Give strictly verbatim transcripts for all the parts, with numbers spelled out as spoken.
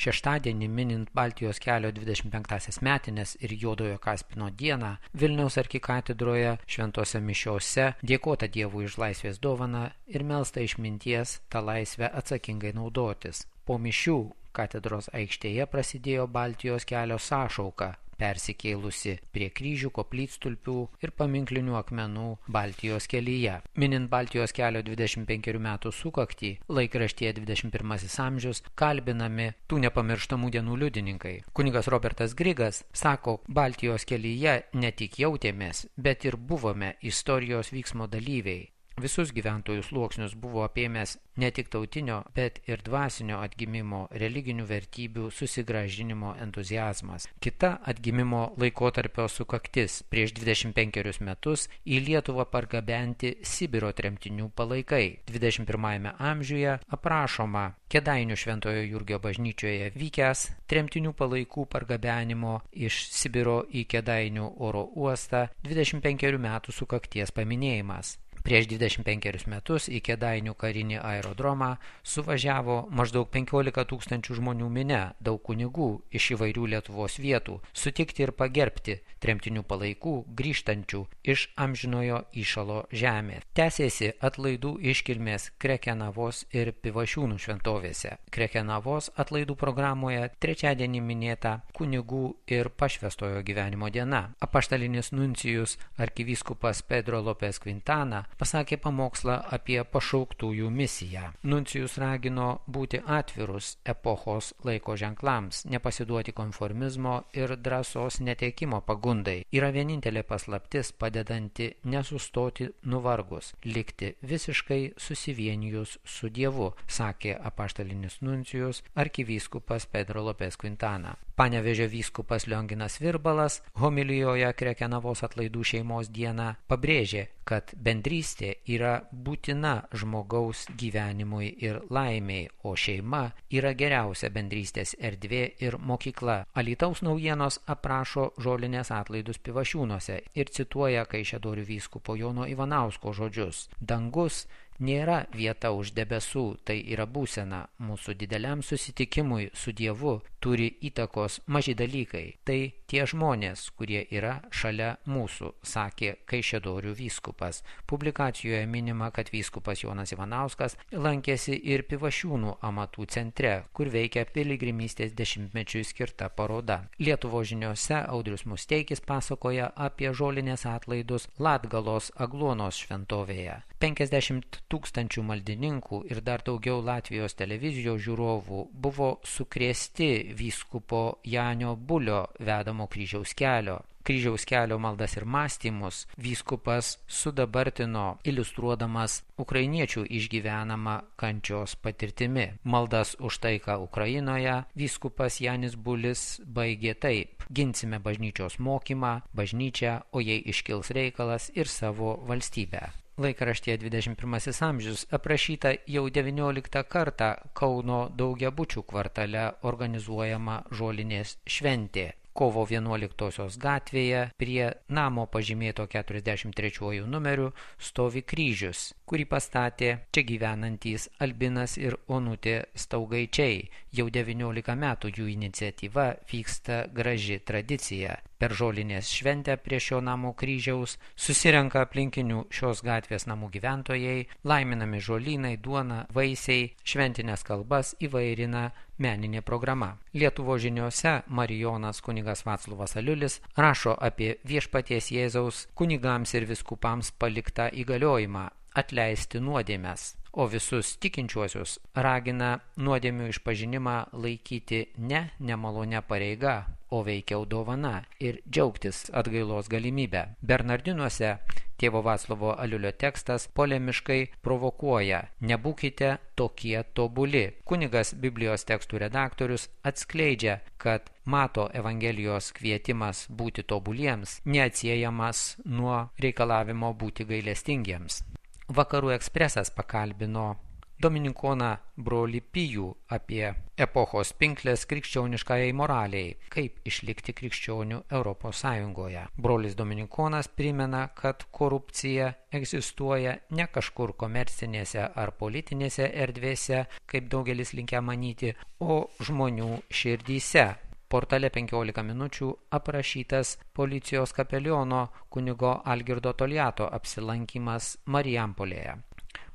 Šeštadienį minint Baltijos kelio dvidešimt penktąsias metines ir Juodojo Kaspino dieną Vilniaus arkikatedroje šventose mišiose dėkota Dievui už laisvės dovaną ir melsta išminties tą laisvę atsakingai naudotis. Po mišių katedros aikštėje prasidėjo Baltijos kelio sąšauka, persikėlusi prie kryžių, koplytstulpių ir paminklinių akmenų Baltijos kelyje. Minint Baltijos kelio dvidešimt penkerių metų sukaktį, laikraštyje dvidešimt pirmasis amžius kalbinami tų nepamirštamų dienų liudininkai. Kunigas Robertas Grigas sako, Baltijos kelyje ne tik jautėmės, bet ir buvome istorijos vyksmo dalyviai. Visus gyventojų sluoksnius buvo apėmęs ne tik tautinio, bet ir dvasinio atgimimo, religinių vertybių susigrąžinimo entuziazmas. Kita atgimimo laikotarpio sukaktis prieš dvidešimt penkerius metus į Lietuvą pargabenti Sibiro tremtinių palaikai. dvidešimt pirmajame amžiuje aprašoma Kėdainių Šventojo Jurgio bažnyčioje vykęs tremtinių palaikų pargabenimo iš Sibiro į Kėdainių oro uostą dvidešimt penkerių metų sukakties paminėjimas. Prieš dvidešimt penkerius metus į Kėdainių karinį aerodromą suvažiavo maždaug penkiolika tūkstančių žmonių minia, daug kunigų iš įvairių Lietuvos vietų, sutikti ir pagerbti tremtinių palaikų grįžtančių iš amžinojo įšalo žemės. Tęsėsi atlaidų iškilmės Krekenavos ir Pivašiūnų šventovėse. Krekenavos atlaidų programoje trečiadienį minėta kunigų ir pašvęstojo gyvenimo diena. Apaštalinis nuncijus arkivyskupas Pedro Lopes Quintana pasakė pamokslą apie pašauktųjų misiją. Nuncijus ragino būti atvirus epochos laiko ženklams, nepasiduoti konformizmo ir drąsos netekimo pagundai. Yra vienintelė paslaptis padedanti nesustoti nuvargus, likti visiškai susivienijus su Dievu, sakė apaštalinis nuncijus arkivyskupas Pedro Lopes Quintana. Panevėžio vyskupas Lionginas Virbalas homilijoje Krekenavos atlaidų šeimos dieną pabrėžė, kad bendrystė yra būtina žmogaus gyvenimui ir laimei, o šeima yra geriausia bendrystės erdvė ir mokykla. Alytaus naujienos aprašo žolinės atlaidus Pivašiūnuose ir cituoja Kaišiadorių vyskupo Jono Ivanausko žodžius. Dangus nėra vieta už debesų, tai yra būsena. Mūsų dideliam susitikimui su Dievu turi įtakos maži dalykai. Tai tie žmonės, kurie yra šalia mūsų, sakė Kaišiadorių vyskupas. Publikacijoje minima, kad vyskupas Jonas Ivanauskas lankėsi ir Pivašiūnų amatų centre, kur veikia piligrimystės dešimtmečiui skirta paroda. Lietuvos žiniose Audrius Musteikis pasakoja apie žolinės atlaidus Latgalos Agluonos šventovėje. penkiasdešimt tūkstančių maldininkų ir dar daugiau Latvijos televizijos žiūrovų buvo sukrėsti vyskupo Janio Bulio vedamo kryžiaus kelio. Kryžiaus kelio maldas ir mąstymus vyskupas sudabartino iliustruodamas ukrainiečių išgyvenamą kančios patirtimi. Maldas už taiką Ukrainoje vyskupas Janis Bulis baigė taip: ginsime bažnyčios mokymą, bažnyčią, o jei iškils reikalas ir savo valstybę. Laikraštyje dvidešimt pirmasis amžius aprašyta jau devynioliktą kartą Kauno Daugiabučių kvartale organizuojama žolinės šventė. Kovo vienuoliktosios gatvėje prie namo pažymėto keturiasdešimt trečiuoju numeriu stovi kryžius, kurį pastatė čia gyvenantys Albinas ir Onutė Staugaičiai. Jau devyniolika metų jų iniciatyva vyksta graži tradicija. Per žolinės šventę prie šio namo kryžiaus susirenka aplinkinių šios gatvės namų gyventojai, laiminami žolynai, duona, vaisiai, šventinės kalbas įvairina meninė programa. Lietuvos žiniose Marijonas kunigas Vaclovas Aliulis rašo apie Viešpaties Jėzaus kunigams ir vyskupams paliktą įgaliojimą atleisti nuodėmes, o visus tikinčiuosius ragina nuodėmių išpažinimą laikyti ne nemalonia pareiga, o veikiau dovana ir džiaugtis atgailos galimybę. Bernardinuose tėvo Vaclovo Aliulio tekstas polemiškai provokuoja: nebūkite tokie tobuli. Kunigas Biblijos tekstų redaktorius atskleidžia, kad Mato Evangelijos kvietimas būti tobuliems neatsiejamas nuo reikalavimo būti gailestingiems. Vakarų ekspresas pakalbino dominikoną brolį Pijų apie epochos pinklės krikščioniškajai moraliai, kaip išlikti krikščionių Europos Sąjungoje. Brolis dominikonas primena, kad korupcija egzistuoja ne kažkur komercinėse ar politinėse erdvėse, kaip daugelis linkę manyti, o žmonių širdyse. Portale penkiolika minučių aprašytas policijos kapeliono kunigo Algirdo Toliato apsilankymas Marijampolėje.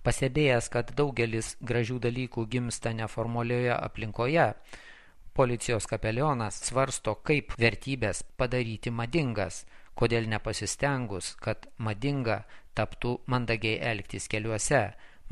Pastebėjęs, kad daugelis gražių dalykų gimsta neformalioje aplinkoje, policijos kapelionas svarsto, kaip vertybės padaryti madingas, kodėl nepasistengus, kad madinga taptų mandagiai elgtis keliuose,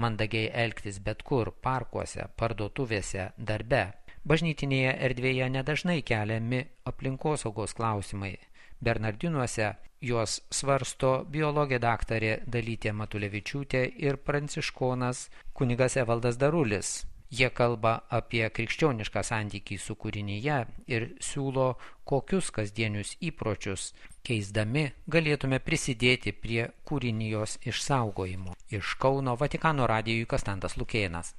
mandagiai elgtis bet kur, parkuose, parduotuvėse, darbe. Bažnytinėje erdvėje nedažnai keliami aplinkosaugos klausimai. Bernardinuose juos svarsto biologė daktarė Dalytė Matulevičiūtė ir pranciškonas kunigas Evaldas Darulis. Jie kalba apie krikščionišką santykį su kūrinyje ir siūlo, kokius kasdienius įpročius keisdami galėtume prisidėti prie kūrinijos išsaugojimo. Iš Kauno Vatikano radijui Kastantas Lukėnas.